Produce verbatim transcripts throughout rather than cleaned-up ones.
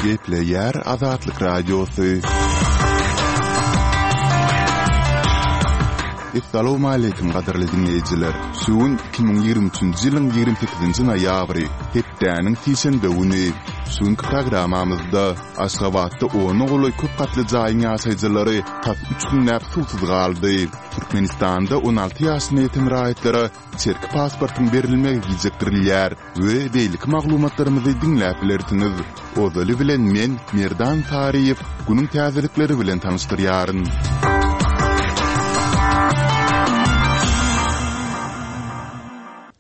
Gepleýär Azatlyk Radiosy. Essalawmaleýkim gadyrly diňleýjiler! Şu gün iki müň ýigrimi üçünji ýylyň ýigrimi sekizinji noýabry, hepdäniň sişenbe güni. Şu günki programmamyzda Aşgabatda ona golaý köp gatly jaýyň ýaşaýjylary tas üç günläp suwsuz galdy. Türkmenistanda on alty ýaşyna ýeten raýatlara içerki pasportyň berilmegi gijikdirilýär we beýleki maglumatlarymyzy diňläp bilersiňiz. Ozaly bilen men, Merdan Saryýew, günüň täzelikleri bilen tanyşdyrýaryn.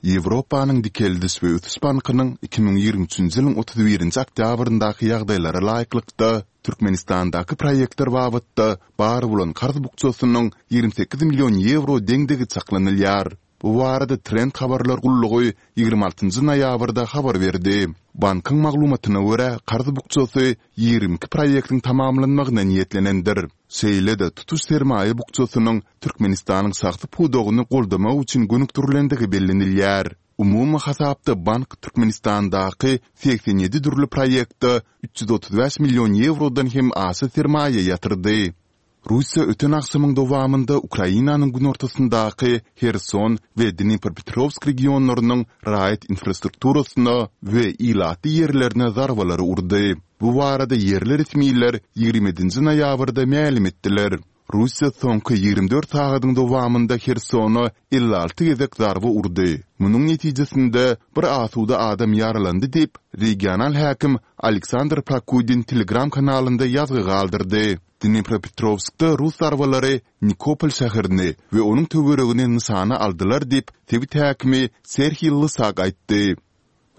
Ýewropanyň Dikeldiş we ösüş bankynyň iki müň ýigrimi üçünji ýylyň otuz birinji oktýabryndaky ýagdaýlara laýyklykda, Türkmenistandaky proýektler babatda bar bolan karz bukjasynyň ýigrimi sekiz million ýewro deňdigi çaklanylýar. Bu barada Trend habarlar gullugy ýigrimi altynjy noýabrda habar berdi. Bankyň maglumatyna görä, karz bukjasy ýigrimi iki proýektiň tamamlanmagyna niýetlenendir. Şeýle-de, tutuş sermaýa bukjasynyň Türkmenistanyň şahsy pudagyny goldamak üçin gönükdirilendigi bellenilýär. Umumy hasapda bank Türkmenistandaky segsen ýedi dürli proýektde üç ýüz otuz bäş million ýewrodan hem aşa sermaýa ýatyrdy. Russiýa öten agşamyň dowamynda Ukrainanyň günortasyndaky Herson we Dnipropetrowsk regionlarynyň raýat infrastrukturasyna we ilatly ýerlerine zarbalary urdy. Bu barada ýerli resmiler ýigrimi ýedinji noýabrda mälim etdiler. Russiýa soňky ýigrimi dört sagadyň dowamynda Hersona elli alty gezek zarba urdy. Munuň netijesinde, bir asuda adam ýaralandy diýip, regional häkim Aleksandr Prokudin Telegram kanalynda ýazgy galdyrdy. Dnipropetrowskda rus zarbalary Nikopol şäherini we onuň töweregini nyşana aldylar diýip, sebit häkimi Serhiý Lysak aýtdy.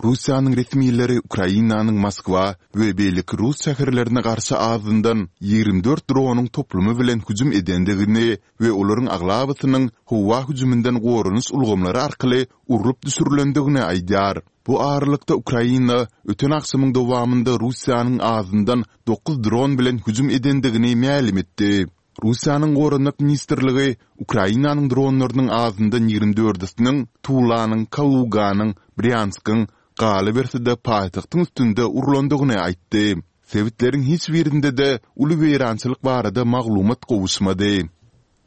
Russiýanyň resmileri Ukrainanyň Moskwa we beýleki rus şäherlerine garşy azyndan ýigrimi dört dronyň toplumy bilen hüjüm edendigini we olaryň aglabasynyň howa hüjüminden goranyş ulgamlary arkaly urlup düşürilendigini aýdýar. Bu aralykda, Ukraina öten agşamyň dowamynda Russiýanyň azyndan dokuz dron bilen hüjüm edendigini mälim etdi. Russiýanyň Goranmak ministrligi Ukrainanyň dronlarynyň azyndan ýigrimi dördüsiniň Tulanyň, Kaluganyň, Brýanskyň, galyberse-de paýtagtyň üstünde urlandygyny aýtdy. Sebitleriň hiç birinde-de uly weýrançylyk barada maglumat gowuşmady.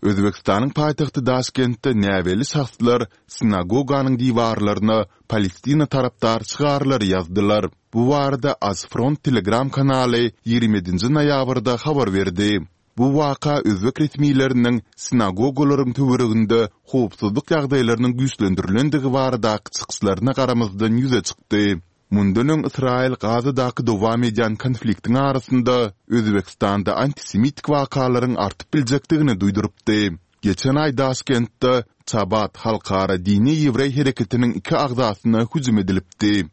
Özbegistanyň paýtagty Daşkentde näbelli şahslar sinagoganyň diwarlaryna Palestina tarapdar şygarlary ýazdylar. Bu barada AzFront Telegram kanaly ýigrimi ýedinji noýabrda habar berdi. Bu waka özbek resmileriniň sinagogalaryň töwereginde howpsuzlyk ýagdaýlarynyň güýçlendirilendigi baradaky çykyşlaryna garamazdan ýüze çykdy. Mundan öň Ysraýyl Gazadaky dowam edýän konfliktiň arasynda Özbegistanda antisemitik wakalaryň artyp biljekdigini duýdurypdy. Geçen aý Daşkentde Çabat halkara dini ýewreý hereketiniň iki agzasyna hüjüm edilipdi.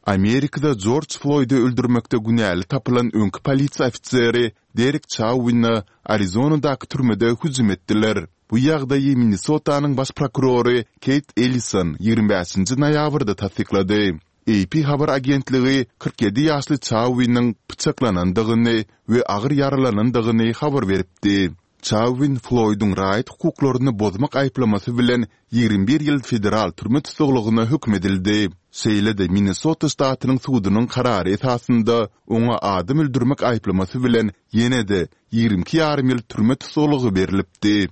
Amerikada Jorj Floýdy öldürmekde günäli tapylan öňki polisiýa ofiseri Derek Çauwine Arizonadaky türmede hüjüm etdiler. Bu ýagdaýy Minnesotanyň baş prokurory Keýt Ellison ýigrimi bäşinji noýabrda tassyklady. AP habar agentligi kyrk ýedi ýaşly Çauwiniň pyçaklanandygyny we agyr ýaralanandygyny habar beripdi. Çauwin Floýduň raýat hukuklaryny bozmak aýyplamasy bilen ýigrimi bir ýyl federal türme tussaglygyna höküm edildi. Şeýle-de Minnesota ştatynyň sudunyň karary esasynda oňa adam öldürmek aýyplamasy bilen ýene-de ýigrimi iki ýarym ýyl türme tussaglygy berlipdi.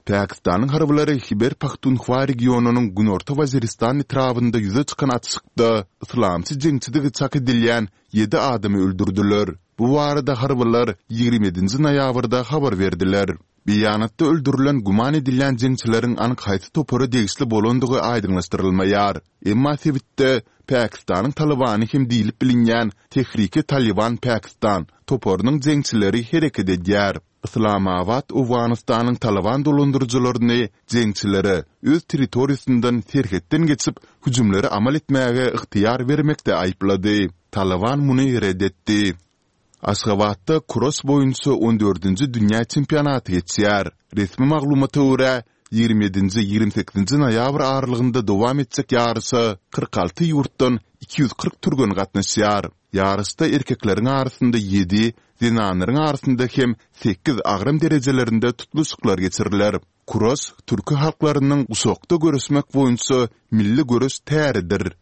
Pakistanyň harbylary Hiber-Pahtunhwa regionynyň Günorta Waziristan etrabynda ýüze çykan atyşykda yslamçy jeňçidigi çak edilýän ýedi adamy öldürdiler. Bu barada harbylar ýigrimi ýedinji noýabrda habar berdiler. Beýanatda öldürilen güman edilýän jeňçileriň anyk haýsy topara degişli bolandygy aýdyňlaşdyrylmaýar. Emma sebitde Pakistanyň Talybany hem diýlip bilinýän Tehriki-Talyban Pakistan toparynyň jeňçileri hereket edýär. Yslamabat Owganystanyň Talyban dolandyryjylaryny jeňçilere öz territoriýasyndan serhetden geçip, hüjümleri amal etmäge ygtyýar bermekde aýyplady. Talyban muny ret etdi. Aşgabatda kuraş boýunça on dördünji dünýä çempionaty geçýär. Resmi maglumata görä, ýigrimi ýedinji, ýigrimi sekizinji noýabr aralygynda dowam etjek ýaryşa kyrk alty ýurtdan iki ýüz kyrk türgen gatnaşýar. Ýaryşda erkekleriň arasynda ýedi, zenanlaryň arasynda hem sekiz agram derejelerinde tutluşyklar geçiriler. Kuraş türki halklarynyň guşakda göreşmek boýunça milli göreş täridir.